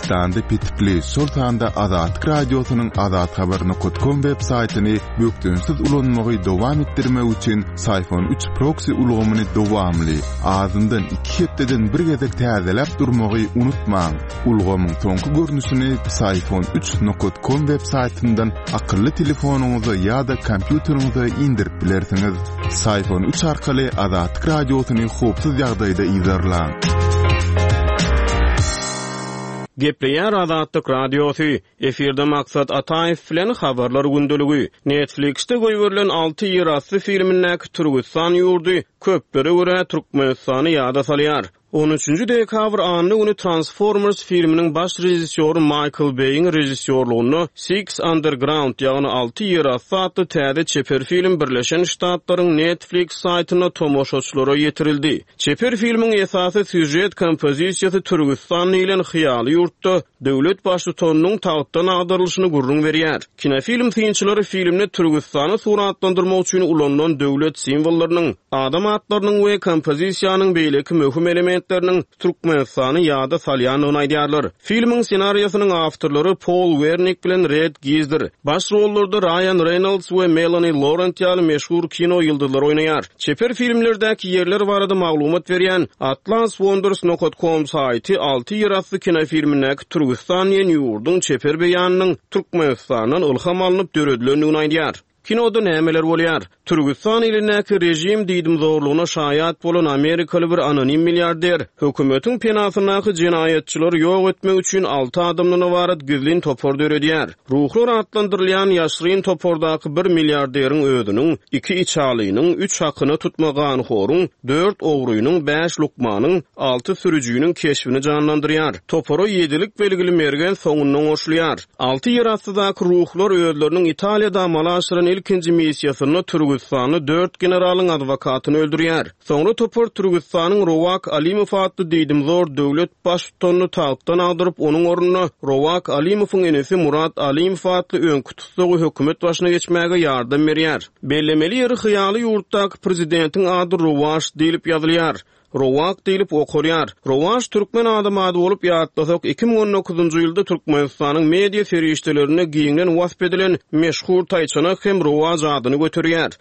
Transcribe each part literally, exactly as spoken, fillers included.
Türkmenistanda petikli, şol sanda Azatlyk Radiosynyň azathabar nokat kom web saýtyny bökdençsiz ulanmagy dowam etdirmek üçin Psiphon üç proksi ulgamyny dowamly, azyndan iki hepdeden bir gezek täzeläp durmagy unutmaň. Ulgamyň soňky görnüşini Psiphon üç nokat kom web saýtyndan akylly telefonyňyza ýa-da kompýuteriňize indirip bilersiňiz. Psiphon üç arkaly Azatlyk Radiosyny howpsuz ýagdaýda yzarlaň. Gepleýär Azatlyk Radiosy. Efirde Maksat Ataýew bilen habarlar gündeligi. Netflixde goýberilen alty ýerasty filmindäki Türküstan ýurdy köplere görä Türkmenistany ýada salýar. On üçünji dekabr anna güni Transformers filminiň baş režissýory Michael Bay'in režissýorlygynda Six Underground, ýagny alty ýerasty atly täze çeper film Birleşen Ştatlaryň Netflix saýtynda tomaşaçylara ýetirildi. Çeper filmiň esasy sýužet kompozisiýasy Türküstan diýlen hyýaly ýurtda döwlet baştutanynyň tagtdan agdarylyşyny gürrüň berýär. Kinofilm synçylary filmde Türküstany suratlandyrmak üçin ulanylan döwlet simwollarynyň, adam atlarynyň we kompozisiýanyň beýleki möhüm elementleriniň Türkmenistany ýada salýandygyny aýdýarlar. Filmiň ssenariýasynyň awtorlary Paul Wernick bilen Red Gizdir. Baş rollarda Ryan Reynolds we Melanie Laurent ýaly meşhur kino ýyldyzlary oýnaýar. Çeper filmlerdäki ýerler barada maglumat berýän Atlas Wonders nokta com saýty alty ýerasty kinofilmindäki Türküstan diýen ýurduň çeper beýanynyň Türkmenistandan ylham alnyp döredilendigini aýdýar. Kinoda nämeler bolýar? Türküstan elindäki rejim diýdim zorlugyna şaýat bolan Amerikaly bir anonim milliarder hökümetiň penasyndaky jenaýatçylary ýok etmek üçin alty adamdan ybarat gizlin topar döredýär. Ruhlar atlandyrylýan ýaşryn topardaky bir milliarderiň özüniň, iki içalynyň, üç hakyna tutma ganhoryň, dört ogrynyň, bäş lukmanyň, alty sürüjiniň keşbini janlandyrýar. Topara ýedilik belgili mergen soňundan goşulýar. Alty ýerastydaky ruhlar özleriniň Italiýada amala aşyran ilkinji missiýasynda Türküstany dört generalyň adwokatyny öldürýär. Soňra topar Türküstanyň Rowak Alimow atly diýdimzor döwlet baştutanyny tagtdan agdyryp, onuň ornuna Rowak Alimowyň enesi Murat Alimow atly öňki tutsagy hökümet başyna geçmäge ýardam berýär. Bellemeli ýeri hyýaly ýurtdaky prezidentiň ady Rowaş diýlip ýazylýar. Rowak diýlip okulýar. Rowaş türkmen adam ady bolup ýatlasak, iki müň on dokuzynjy ýylda Türkmenistanyň media serişdelerinde giňden wasp edilen meşhur taýçanak hem Rowaş adyny göterýär.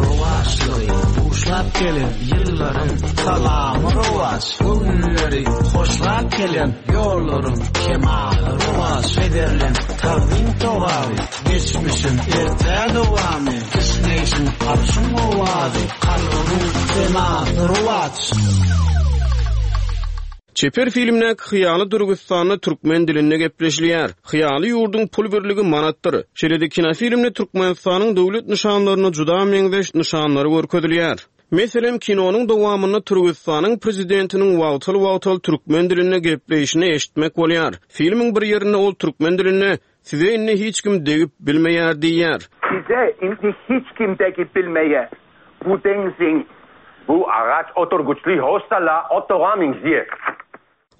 Rowaşlygy buşlap gelen ýyllaryň salamy rowaş, göwünleri hoşlap gelen ýollaryň kemaly rowaş, ederlen tagzym togaby, geçmişin erte dowamy, kişneýşiň arşyň owazy, kalbyň senasy rowaç. Çeper filmdäki hyýaly Türküstanda türkmen dilinde gepleşilýär. Hyýaly ýurduň pul birligi manatdyr. Şeýle-de kinofilmde Türkmenistanyň döwlet nyşanlaryna juda meňzeş nyşanlary görkezilýär. Meselem, kinonyň dowamynda Türküstanyň prezidentiniň wagtal-wagtal türkmen dilinde gepleýşini eşitmek bolýar. Filmiň bir ýerinde ol türkmen dilinde Size indi hiç kim degip bilmeýär diýýär. Size indi hiç kim degip bilmeýär. Bu deňziň Bu agaç oturgyçly hostala otaga meňzeýär.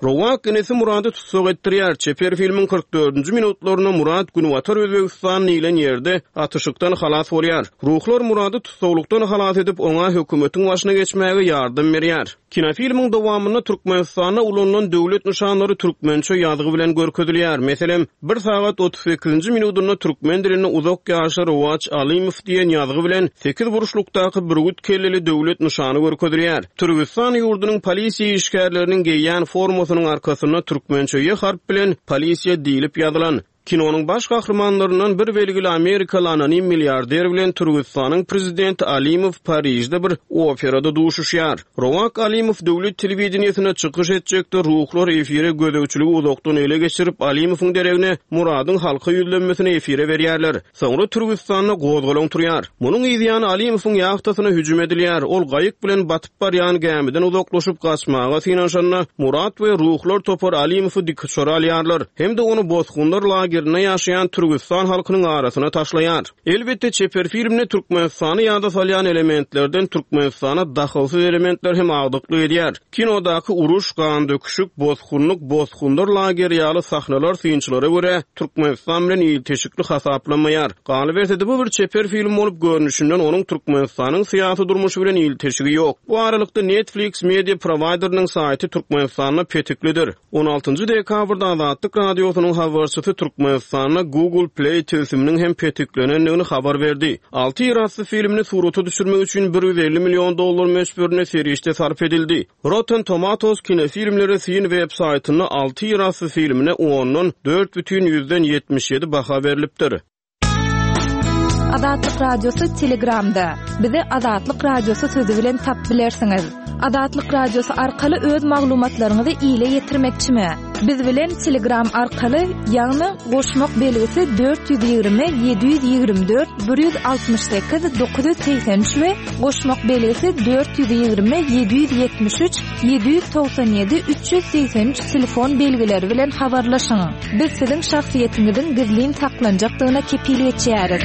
Rowak inisi Murady tutsak etdirýär. Çeper filmiň kyrk dördünji minutlarynda Murat Günbatar Özbegistan diýlen ýerde atyşykdan halas bolýar. Ruhlar Murady tutsaglykdan halas edip, oňa hökümetiň başyna geçmäge ýardam berýär. Kinofilmiň dowamynda Türkmenistanda ulanylan döwlet nyşanlary türkmençe ýazgy bilen görkezilýär. Meselem, bir sagat otuz sekizinji minutunda türkmen dilinde uzak ýaşa Rowaç Alimow diýen ýazgy bilen sekiz burçlukdaky bürgüt kelleli döwlet nyşany görkezilýär. Türküstan ýurdunyň polisiýa işgärleriniň geýýän formasynyň arkasynda türkmençe ýe harp bilen polisiýa diýlip ýazylan. Kinonyň baş gahrymanlaryndan bir belgili Amerikaly anonim milliarder bilen Türküstanyň prezidenti Alimow Parijde bir operada duşuşýar. Rowak Alimow döwlet telewideniýesine çykyş etjekde ruhlar efire gözegçiligi uzakdan ele geçirip Alimowyň deregine Muradyň halka ýüzlenmesini efire berýärler. Soňra Türküstanda gozgalaň turýar. Munuň ýany Alimowyň ýahtasyna hüjüm edilýär. Ol gaýyk bilen batyp barýan gämiden uzaklaşyp gaçmaga synanyşanda Murat we ruhlar topar Alimowy dikuçara alýarlar. Hem-de ony bosgunlar lagerine lagerinde ýaşaýan Türküstan halkynyň arasyna taşlaýar. Elbetde çeper filmde Türkmenistany ýada salýan elementlerden Türkmenistana dahylsyz elementler hem agdyklyk edýär. Kinodaky uruş, gan döküşik, bosgunlyk, bosgunlar lageri ýaly sahnalar synçylara görä Türkmenistan bilen ilteşikli hasaplanmaýar. Galyberse-de bu bir çeper film bolup görnüşinden onuň Türkmenistanyň syýasy durmuşy bilen ilteşigi ýok. Bu aralykda Netflix media provideriniň saýty Türkmenistanda petiklidir. on altynjy dekabrda Azatlyk Radiosynyň habarçysy Türkmenistanda Google Play tilsiminiň hem petiklenendigini habar berdi. Alty ýerasty filmini surata düşürmek üçin bir ýüz elli million dollar möçberinde serişde sarp edildi. Rotten Tomatoes kinofilmleri syn web saýtynda alty ýerasty filmine ondan dört bütin ýüzden ýetmiş ýedi baha berlipdir. Azatlyk Radiosy Telegramda. Bizi Azatlyk Radiosy sözü bilen tap bilersiňiz. Azatlyk Radiosy arkaly öz maglumatlaryňyzy ile ýetirmekçimi? Biz bilen Telegram arkaly, ýagny goşmak belgisi dört ýüz ýigrimi, ýedi ýüz ýigrimi dört, bir ýüz altmyş sekiz, dokuz ýüz segsen üç we goşmak belgisi dört ýüz ýigrimi, ýedi ýüz ýetmiş üç, ýedi ýüz togsan ýedi, üç ýüz segsen üç telefon belgileri bilen habarlaşyň. Biz siziň şahsyýetiňiziň gizlin saklanjakdygyna kepil geçýäris.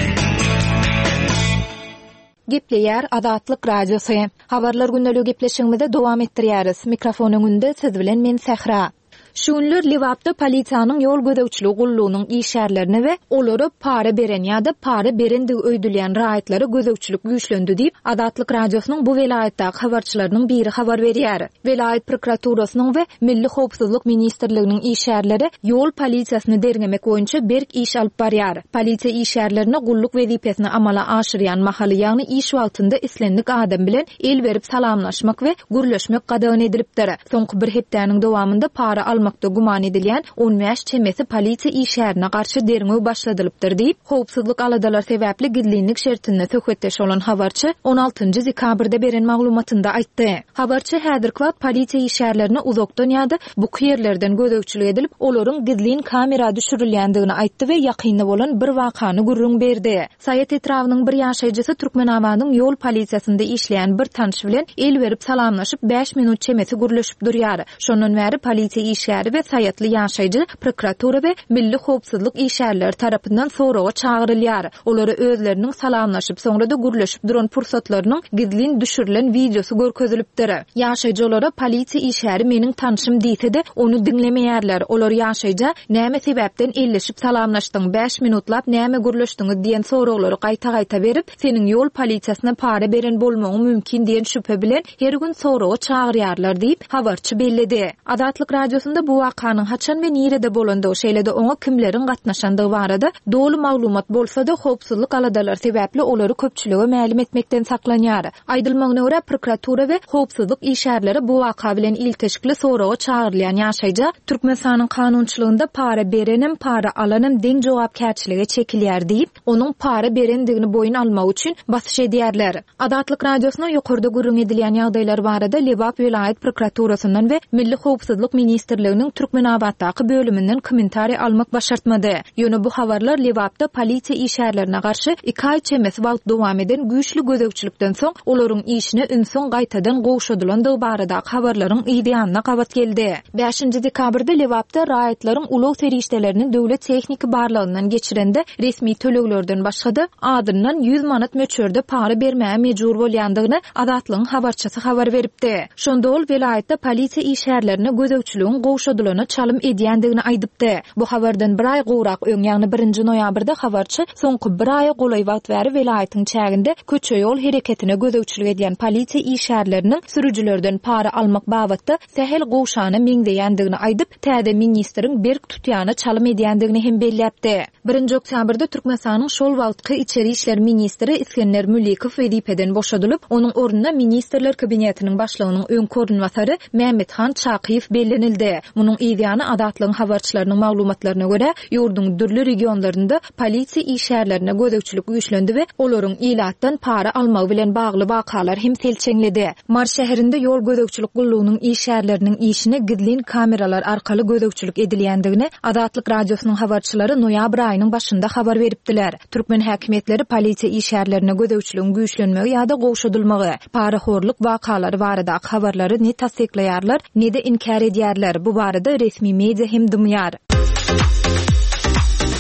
Gepleýär Azatlyk Radiosy. Habarlar gündelik gepleşigimize dowam etdirýäris. Mikrofon öňünde siz bilen men Sähra. Şu günler Lebapda polisiýanyň ýol gözegçiligi gullugynyň işgärlerine we olara para beren ýa-da para berendigi öýdülýän raýatlara gözegçilik güýçlendi diýip, Azatlyk Radiosynyň bu welaýatdaky habarçylarynyň biri habar berýär. Welaýat prokuraturasynyň we Milli Howpsuzlyk Ministrliginiň işgärleri ýol polisiýasyny derňemek boýunça berk iş alyp barýar. Polisiýa işgärlerine gulluk wezipesini amala aşyrýan mahaly, ýagny iş wagtynda islendik adam bilen el berip salamlaşmak we gürleşmek gadagan edilipdir. Soňky bir hepdäniň dowamynda para almak guman edilýän on bäş çemesi polisiýa işgärine garşy derňew başladylypdyr diýip, howpsuzlyk aladalar sebäpli gizlinlik şertinde söhbetdeş bolan habarçy on altynjy dekabrda beren maglumatynda aýtdy. Habarçy häzirki wagt polisiýa işgärlerine uzakdan ýa-da buky ýerlerden gözegçilik edilip, olaryň gizlin kamera düşürilýändigini aýtdy we ýakynda bolan bir wakany gürrüň berdi. Saýat etrabynyň bir ýaşaýjysy Türkmenabadyň ýol polisiýasynda işleýän bir tanyş bilen el berip salamlaşyp bäş minut çemesi gürleşip durýar. Şondan bäri polisiýa işgäri we saýatly ýaşaýjy prokuratura we Milli Howpsuzlyk işgärleri tarapyndan soraga çagyrylýar. Olara özleriniň salamlaşyp, soňra da gürleşip duran pursatlarynyň gizlin düşürilen wideosy görkezilipdir. Ýaşaýjy olara polisiýa işgäri meniň tanşym diýse-de, ony diňlemeýärler. Olar ýaşaýja näme sebäpden elleşip salamlaşdyň, bäş minutlap näme gürleşdiňiz diýen soraglary gaýta-gaýta berip, seniň ýol polisiýasyna para beren bolmagyň mümkin diýen şübhe bilen her gün soraga çagyrýarlar diýip, habarçy belledi. Azatlyk Radiosynda bu wakanyň haçan we nirede bolandygy, şeýle-de oňa kimleriň gatnaşandygy barada doly maglumat bolsa-da, howpsuzlyk aladalary sebäpli olary köpçülige mälim etmekden saklanýar. Aýdylmagyna görä, prokuratura we howpsuzlyk işgärleri bu waka bilen ilteşikli soraga çagyrylýan ýaşaýja Türkmenistanyň kanunçylygynda para berenem, para alanem deň jogapkärçilige çekilýär diýip, onuň para berendigini boýun almak üçin basyş edýärler. Azatlyk Radiosyna ýokarda gürrüň edilýän ýagdaýlar barada Lebap welaýat prokuraturasyndan we Milli Howpsuzlyk Ministrliginiň Türkmenabatdaky bölüminden kommentariý almak başartmady. Ýöne bu habarlar Lebapda polisiýa işgärlerine garşy iki aý çemesi wagt dowam eden güýçli gözegçilikden soň olaryň işine ünsüň gaýtadan gowşadylandygy baradaky habarlaryň ýanyna gabat geldi. Bäşinji dekabrda Lebapda raýatlaryň ulag serişdelerini döwlet tehniki barlagyndan geçirende resmi töleglerden başga-da adyndan ýüz manat möçberde para bermäge mejbur bolýandygyny Azatlygyň habarçysy habar beripdi. Şonda ol welaýatda polisiýa işgärlerine gözegçiligiň gowşadylana çalym edýändigini aýdypdy. Bu habardan bir aý gowrak öň, ýagny birinji noýabrda habarçy soňky bir aýa golaý wagt bäri welaýatyň çäginde köçe ýol hereketine gözegçilik edýän polisiýa işgärleriniň sürüjilerden para almak babatda sähel gowşana meňzeýändigini aýdyp, täze ministriň berk tutýana çalym edýändigini hem belläpdi. Birinji oktýabrda Türkmenistanyň şol wagtky içeri işler ministri Iskender Mülikow wezipeden boşadylyp, onuň ornuna Ministrler Kabinetiniň başlygynyň öňki orunbasary Mehmethan Çakyýew bellenildi. Munuň ýany Azatlygyň habarçylarynyň maglumatlaryna görä, ýurduň dürli regionlarynda polisiýa işgärlerine gözegçilik güýçlendi we olaryň ilatdan para almagy bilen bagly wakalar hem selçeňledi. Mars şäherinde ýol gözegçilik gullugynyň işgärleriniň işine gizlin kameralar arkaly gözegçilik edilýändigini Azatlyk Radiosynyň habarçylary noýabr aýynyň başynda habar beripdiler. Türkmen häkimiýetleri polisiýa işgärlerine gözegçiligiň güýçlenmegi ýa-da gowşadylmagy, parahorluk wakalary baradaky habarlary ne tassyklaýarlar, ne-de inkär edýärler. Bu barada resmi media hem dymýar.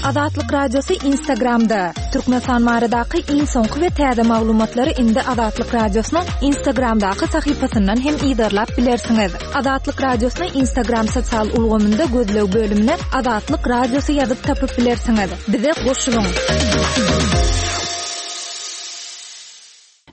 Azatlyk Radiosy Instagramda. Türkmenistan baradaky iň soňky we täze maglumatlary indi Azatlyk Radiosynyň Instagramdaky sahypasyndan hem yzarlap bilersiňiz. Azatlyk Radiosyny Instagram sosial ulgamynda gözleg bölümine Azatlyk Radiosy ýazyp tapyp bilersiňiz. Bize goşulyň.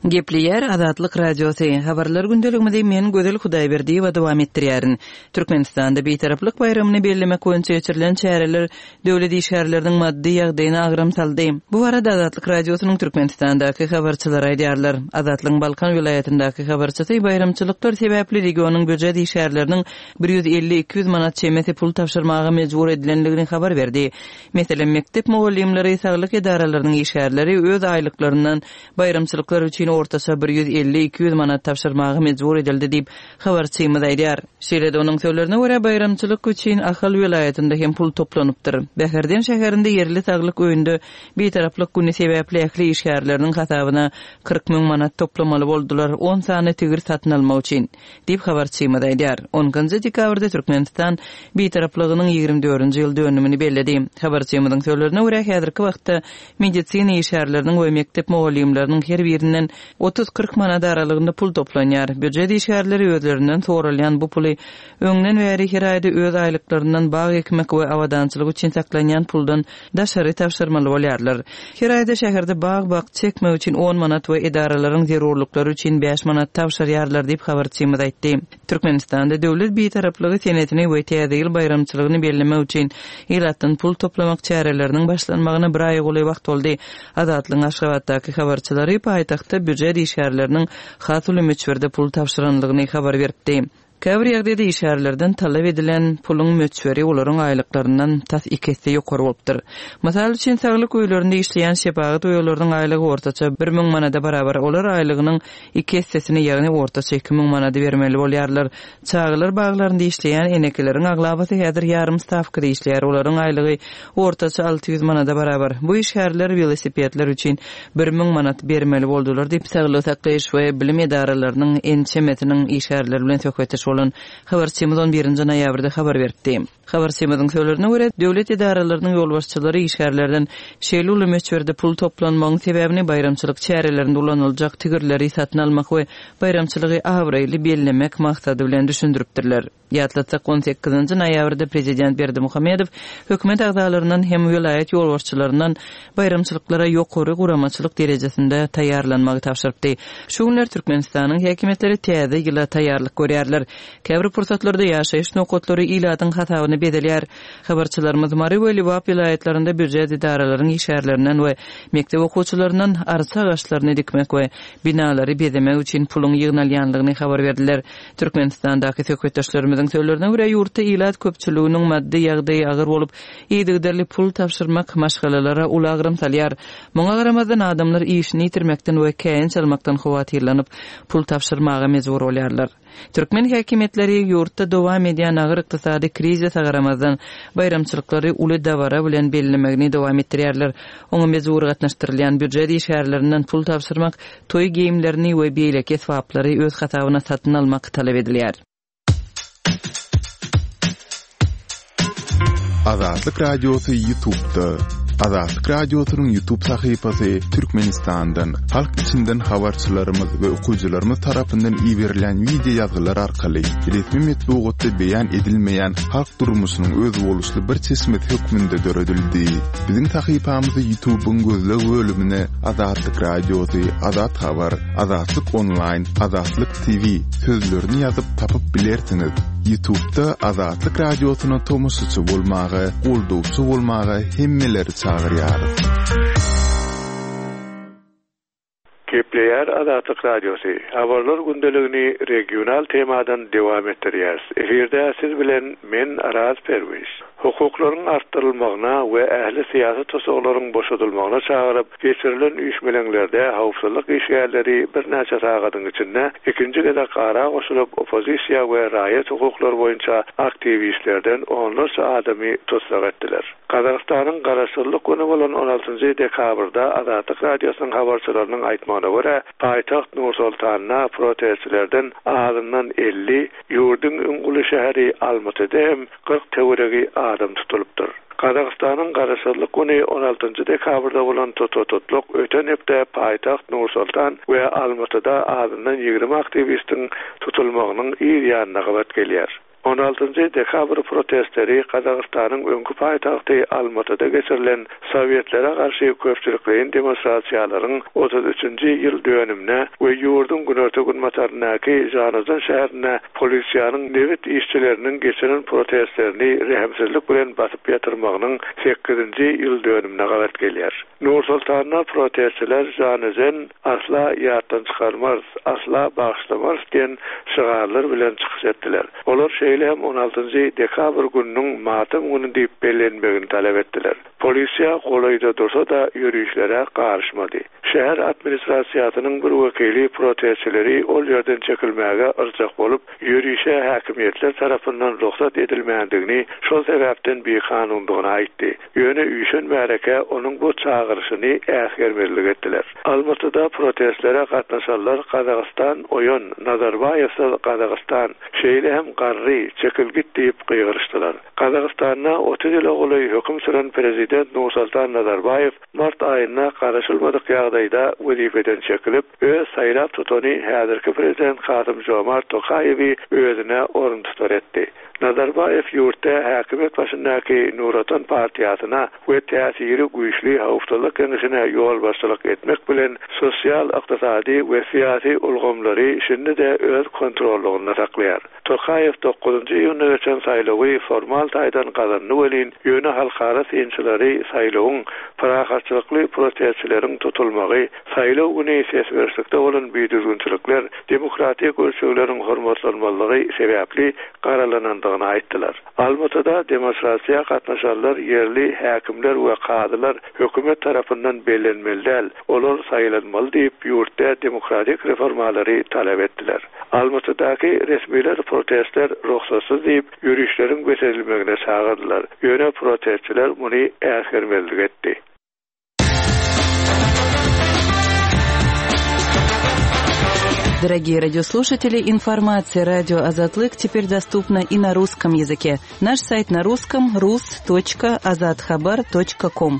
Gepleýär Azatlyk Radiosy. Habarlar gündeligimizi men Gözel Hudaýberdiýewa dowam etdirýärin. Türkmenistanda Bitaraplyk baýramyny bellemek boýunça geçirilen çäreler döwlet işgärleriniň maddy ýagdaýyna agram saldy. Bu barada Azatlyk Radiosynyň Türkmenistandaky habarçylary aýdýarlar. Azatlygyň Balkan welaýatyndaky habarçysy baýramçylyklar sebäpli regionyň býujet işgärleriniň bir ýüz elli iki ýüz manat çemesi pul tabşyrmaga mejbur edilendigini habar berdi. Meselem, mekdep mugallymlary, saglyk edaralarynyň işgärleri öz aýlyklaryndan baýramçylyklar üçin ortaça bir ýüz elli iki ýüz manat tabşyrmaga mejbur edildi diýip, habarçymyz aýdýar. Şeýle-de onuň sözlerine görä, baýramçylyk üçin Ahal welaýatynda hem pul toplanypdyr. Bäherden şäherinde ýerli saglyk öýünde Bitaraplyk güni sebäpli ähli işgärleriniň hasabyna kyrk müň manat toplamaly boldular, on sany tigir satyn almak üçin, diýip, habarçymyz aýdýar. On ikinji dekabrda Türkmenistan Bitaraplygynyň ýigrimi dördünji ýyl dönümini belledi. Habarçymyzyň sözlerine görä, häzirki wagtda medisina işgärleriniň we mekdep mugallymlarynyň her birinden otuz-kyrk manat aralygynda pul toplanýar. Býujet işgärleri özlerinden soralýan bu puly öňden bäri her aýda öz aýlyklaryndan bag ekmek we abadançylyk üçin saklanýan puldan daşary tabşyrmaly bolýarlar. Her aýda şäherde bag-bakça ekmek üçin on manat we edaralaryň zerurlyklary üçin bäş manat tabşyrýarlar diýip habarçymyz aýtdy. Türkmenistanda döwlet bitaraplygy senesini we Täze ýyl baýramçylygyny bellemek üçin ilatdan pul toplamak çäreleriniň başlanmagyna bir aýa golaý wagt boldy. Azatlygyň Aşgabatdaky habarçylary paýtagtda býujet işgärleriniň has uly möçberde pul tabşyranlygyny habar beripdi. Käbir ýagdaýda işgärlerden talap edilen puluň möçberi olaryň aýlyklaryndan tas iki esse ýokary bolupdyr. Mysal üçin, saglyk öýlerinde işleýän şepagat uýalarynyň aýlygy ortaça bir müň manada barabar. Olar aýlygynyň iki essesini, ýagny ortaça iki müň manady bermeli bolýarlar. Çagalar baglarynda işleýän enekeleriň aglabasy häzir ýarym stawkada işleýär. Olaryň aýlygy ortaça alty ýüz manada barabar. Bu işgärler welosipedler üçin bir müň manat bermeli boldular diýip, saglyk saklaýyş we bilim edaralarynyň ençemesiniň işgärleri bilen söhbetdeş bolan habarçymyz on birinji noýabrda habar beripdi. Habarçymyzyň sözlerine görä, döwlet edaralarynyň ýolbaşçylary işgärlerden şeýle uly möçberde pul toplanmagyň sebäbini baýramçylyk çärelerinde ulanyljak tigirleri satyn almak we baýramçylygy abraýly bellemek maksady bilen düşündiripdirler. Ýatlatsak, on sekizinji noýabrda prezident Berdimuhamedow hökümet agzalaryndan hem welaýat ýolbaşçylaryndan baýramçylyklara ýokary guramaçylyk derejesinde taýýarlanmagy tabşyrypdy. Şu günler Türkmenistanyň häkimiýetleri täze ýyla taýýarlyk görýärler. Käbir pursatlarda ýaşaýyş nokatlary ilatyň hasabyny bezelýär. Habarçylarymyz Mary we Lebap welaýatlarynda býujet edaralaryň işgärlerinden we mekdep okuwçylaryndan arça agaçlaryny dikmek we binalary bezemek üçin puluň ýygnalýanlygyny habar berdiler. Türkmenistandaky söhbetdeşlerimiziň sözlerine görä, ýurtda ilat köpçüliginiň maddy ýagdaýy agyr bolup, yzygiderli pul tabşyrmak maşgalalara uly agram salýar. Muňa garamazdan adamlar işini ýitirmekden we käýinç almakdan howatyrlanyp, pul tabşyrmaga mejbur bolýarlar. Türkmen häkimiýetleri ýurtda dowam edýän agyr ykdysady krizise garamazdan baýramçylyklary uly dabara bilen bellemegini dowam etdirýärler. Oňa mejbur gatnaşdyrylýan býujet işgärlerinden pul tabşyrmak, toý geýimlerini we beýleki esbaplary öz hasabyna satyn almak talap edilýär. Azatlyk Radiosy YouTube'da. Azatlyk Radiosynyň YouTube sahypasy Türkmenistandan, halk içinden habarçylarymyz we okyjylarymyz tarapyndan iberilen video ýazgylar arkaly resmi metbugatda beýan edilmeýän halk durmuşynyň özboluşly bir çeşmesi hökmünde döredildi. Biziň sahypamyzy YouTube'yň gözleg bölümine Azatlyk Radiosy, Azat Habar, Azatlyk Online, Azatlyk T V sözlerini ýazyp tapyp bilersiňiz. YouTube'da Azatlyk Radiosyna tomaşaçy bolmaga, goldawçy bolmaga hemmeleri çagyrýarys. Gepleýär Azatlyk Radiosy. Habarlar gündeligini regional temadan dowam etdirýäris. Efirde siz bilen men Araz Perwiş. Hukuklaryň artdyrylmagyna we ähli syýasy tusaglaryň boşadylmagyna çagyryp, geçirilen üýşmeleňlerde howpsuzlyk işgärleri birnäçe sagadyň içinde ikinji gezek ara goşulyp, oppozisiýa we raýat hukuklary boýunça aktiwistlerden onlarça adamy tussag etdiler. Gazagystanyň Garaşsyzlyk güni bolan on altynjy dekabrda Azatlyk Radiosynyň habarçylarynyň aýtmagyna görä, paýtagt Nur-Sultanda protestçilerden azyndan elli, ýurduň iň uly şäheri Almatyda hem kyrk töweregi adam tutulypdyr. Gazagystanyň Garaşsyzlyk güni on altynjy dekabrda bolan tutha-tutluk öten hepde paýtagt Nur-Sultan we Almatyda azyndan ýigrimi aktiwistiň tutulmagynyň yz ýanyna gabat gelýär. On altynjy dekabr protestleri Gazagystanyň öňki paýtagty Almatyda geçirilen Sowetlere garşy köpçülikleýin demonstrasiýalaryň otuz üçünji ýyl dönümine we ýurduň günorta-günbataryndaky Žanaozen şäherinde polisiýanyň nebit işçileriniň geçiren protestlerini rehimsizlik bilen basyp ýatyrmagynyň sekizinji ýyl dönümine gabat gelýär. Nur-Sultanda protestçiler Žanaozen asla ýatdan çykarmarys, asla bagyşlamarys diýen şygarlar bilen çykyş etdiler. Olar şeýle hem on altynjy dekabr gününiň matam güni diýip bellenmegini talap etdiler. Polisiýa golaýda dursa-da ýörişlere garyşmady. Şäher administrasiýasynyň bir wekili protestçileri ol ýerden çekilmäge yrjak bolup, ýörişe häkimiýetler tarapyndan rugsat edilmändigini, şol sebäpden bikanundygyny aýtdy. Ýöne üýşen märeke onuň bu çagyryşyny äsgermezlik etdiler. Almatyda protestlere gatnaşanlar Gazagystan oýan, Nazarbaýewsiz Gazagystan, şeýle hem garry, çekil git diýip gygyryşdylar. Gazagystanda otuz ýyla golaý höküm süren prezident Nursultan Nazarbaýew mart aýynda garaşylmadyk ýagdaýda wezipeden çekilip, öz saýlap tutany häzirki prezident Kasym Jomart Tokaýewi özüne orun tutar etdi. Nazarbaýew ýurtda häkimiýet başyndaky Nur Otan partiýasyna we täsiri güýçli howpsuzlyk geňeşine ýolbaşçylyk etmek bilen sosial, ykdysady we syýasy ulgamlary şindi-de öz kontrollygynda saklaýar. Tokaýew dokuzynjy iýunda geçen saýlawy formal taýdan gazandy welin, ýöne halkara synçylary saýlawyň parahatçylykly protestçileriň tutulmagy, saýlaw güni ses berişlikde bolan bidüzgünçilikler, demokratik ölçegleriň hormatlanmazlygy sebäpli garalanandygyny aýtdylar. Almatyda demonstrasiýa gatnaşanlar ýerli häkimler we kazylar hökümet tarapyndan bellenmeli däl, olar saýlanmaly diýip ýurtda demokratik reformalary talap etdiler. Almatydaky resmiler protestler rugsatsyz diýip ýörişleriň bes edilmegine çagyrdylar. Ýöne protestçiler muny äsgermezlik etdi. Дорогие радиослушатели, информация радио Азатлык теперь доступна и на русском языке. Наш сайт на русском рус точка азатхабар точка ком.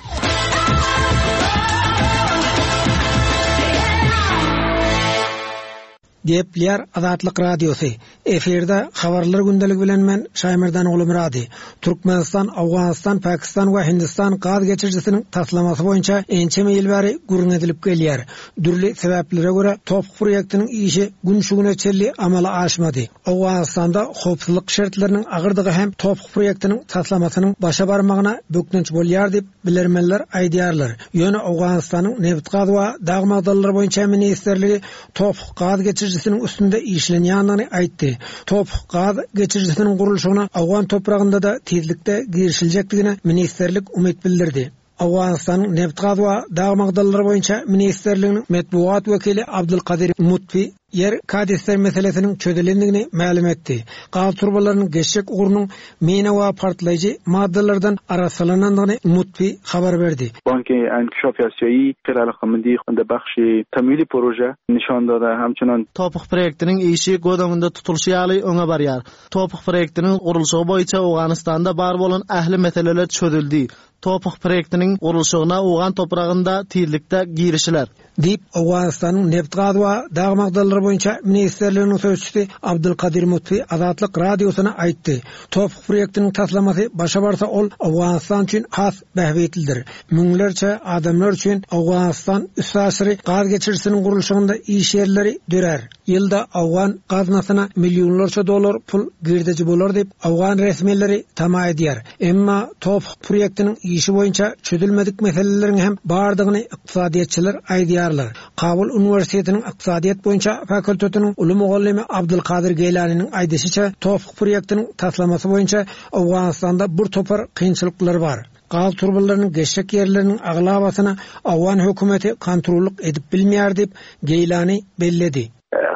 Gepleýär Azatlyk Radiosy. Efirde habarlar gündeligi bilen men Şaýmerdan Gulumyrady. Türkmenistan, Awganystan, Pakistan we Hindistan gaz geçirijisiniň taslamasy boýunça ençeme ýyl bäri gürrüň edilip gelýär. Dürli sebäplere görä Toph proýektiniň işi gün şu güne çenli amala aşmady. Awganystanda howpsuzlyk şertleriniň agyrdygy hem Toph proýektiniň taslamasynyň başa barmagyna bökdenç bolýar diýip bilermenler aýdýarlar. Ýöne Awganystanyň nebit-gaz we dag magdanlary boýunça ministrligi Toph gaz geçirijisiniň üstünde işlenýändigini aýtdy. Toph gaz geçirijisiniň gurluşygyna Awgan topragynda da tizlikde girişiljekdigine ministrlik umyt bildirdi. Awganystanyň nebit-gaz we dag magdanlary boýunça ministrliginiň metbugat wekili Abdulkadir Mutfi ýer kadastr meselesiniň çözülendigini mälim etdi. Gaz turbalarynyň geçjek ugrunyň mina we partlaýjy maddalardan arassalanandygyny Mutfi habar berdi. Banki Inkişaf Asiýaýy خیلی علاقه‌مندی خود بخش تمویل پروژه nişan dada hemçinan Toph proýektiniň işi göz öňünde tutulyşy ýaly öňe barýar. Toph proýektiniň gurluşygy boýunça Owganystanda bar bolan ähli meseleler çözüldi. Toph proýektiniň gurluşygyna Owgan topragynda tizlikde girişiler. Diýip Owganystanyň nebit-gaz we dag magdanlary boýunça ministrliginiň sözçüsi Abdulkadir Mutfi Azatlyk Radiosyna aýtdy. Toph proýektiniň taslamasy başa barsa ol Owganystan üçin has bähbitlidir. Müňlerçe adamlar üçin Owganystan üstaşyry gaz geçirijisiniň gurluşygynda iş ýerleri dörer. Ýylda Owgan gaznasyna millionlarça dollar pul girdeji bolar diýip Owgan resmileri tama edýär. Emma Toph proýektiniň işi boýunça çözülmedik meseleleriň hem bardygyny ykdysadyýetçiler aýdýarlar. Kabul Uniwersitetiniň ykdysadyýet boýunça fakultetiniň uly mugallymy Abdulkadir Geýlanynyň aýdyşyça Toph proýektiniň taslamasy boýunça Owganystanda bir topar kynçylyklar bar. Gaz turbalarynyň geçjek ýerleriniň aglabasyna Owgan hökümeti kontrollyk edip bilmeýär diýip Geýlany belledi.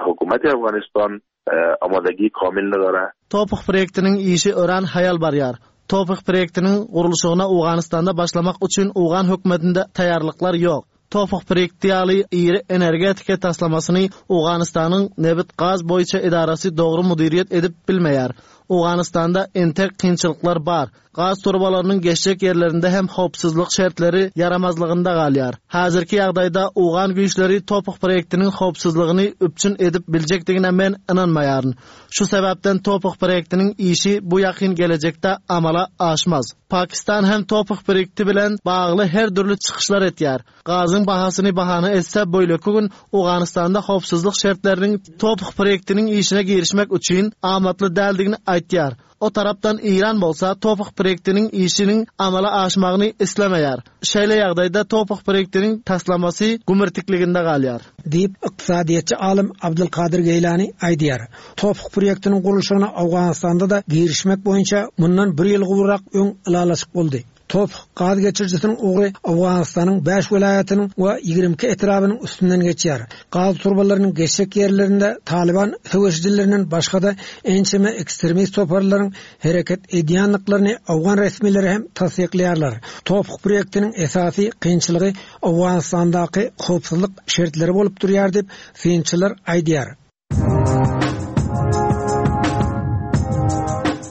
Hökümet Afganistan amadagi kamil nadara. Toph proýektiniň işi öran haýal barýar. TOPH proýektiniň gurluşygyna Owganystanda başlamak üçin owgan hökümetinde taýýarlyklar ýok. TOPH proýekti ýaly iri energetika taslamasyny Owganystanyň nebit-gaz boýunça edarasy dogry müdiriýet edip bilmeýär. Owganystanda entek kynçylyklar bar. Gaz turbalarynyň geçjek ýerlerinde hem howpsuzlyk şertleri ýaramazlygynda galýar. Häzirki ýagdaýda owgan güýçleri TOPH proýektiniň howpsuzlygyny üpjün edip biljekdigine men ynanmaýaryn. Şu sebäpden TOPH proýektiniň işi bu ýakyn gelejekde amala aşmaz. Pakistan hem TOPH proýekti bilen bagly her dürli çykyşlar etýär. Gazyň bahasyny bahana etse beýleki gün Owganystanda howpsuzlyk şertleriniň TOPH proýektiniň işine girişmek üçin amatly däldigini aýtýar. O tarapdan Eýran bolsa TOPH proýektiniň işiniň amala aşmagyny islemeýär. Şeýle ýagdaýda TOPH proýektiniň taslamasy gümürtikliginde galýar. Diýip, ykdysadyýetçi alym Abdulkadir Geýlani aýdýar. TOPH proýektiniň gurluşygyna Owganystanda-da girişmek boýunça mundan bir ýyl gowrak öň ylalaşyk boldy. TOPH gaz geçirijisiniň ugry Owganystanyň bäş welaýatynyň we ýigrimi iki etrabynyň üstünden geçýär. Gaz turbalarynyň geçjek ýerlerinde Taliban söweşijilerinden başga-da ençeme ekstremist toparlaryň hereket edýänliklerini owgan resmileri hem tassyklaýarlar. TOPH proýektiniň esasy kynçylygy Owganystandaky howpsuzlyk şertleri bolup durýar diýip synçylar aýdýar.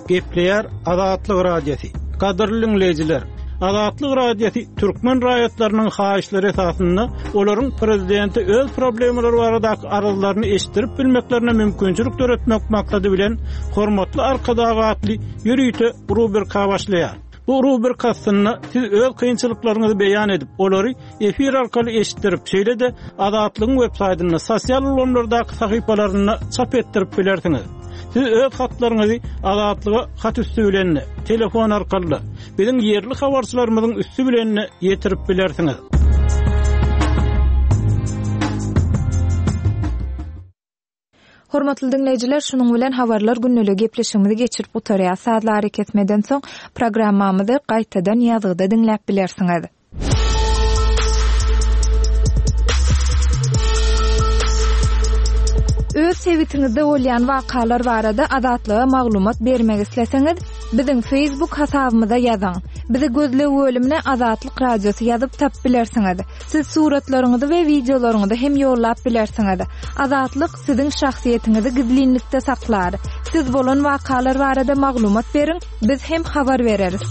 Gepleýär Azatlyk Radiosy. Gadyrly dinleýjiler, Azatlyk Radiosy türkmen raýatlarynyň haýyşlary esasynda olaryň prezidenti öz problemalary baradaky arzlaryny eşitdirip bilmeklerine mümkinçilik döretmek maksady bilen hormatly Arkadag atly ýörite rubrika başlaýar. Bu rubrika aslynda siz öz kynçylyklaryňyzy beýan edip, olary efir arkaly eşitdirip, şeýle-de Azatlygyň web saýtynda, sosial ulgamlardaky sahypalarynda çap etdirip bilersiňiz. Siz öz hatlaryňyzy Azatlyga hat üstü bilen, telefon arkaly, biziň ýerli habarçylarymyzyň üstü bilen ýetirip bilersiňiz. Hormatly dinleýjiler, şunuň bilen habarlar günlügi gepleşigimizi geçirip gutarýar. Sazlary kesmeden soň programmamyzy gaýtadan ýazgyda diňläp bilersiňiz. Öz sebitiňizde bolýan wakalar barada Azatlyga maglumat bermek isleseňiz, biziň Facebook hasabymyza ýazyň. Bizi gözleg bölümine Azatlyk Radiosy ýazyp tap bilersiňiz. Siz suratlaryňyzy we wideolaryňyzy hem ýollap bilersiňiz. Azatlyk siziň şahsyýetiňizi gizlinlikde saklar. Siz bolan wakalar barada maglumat beriň, biz hem habar bereris.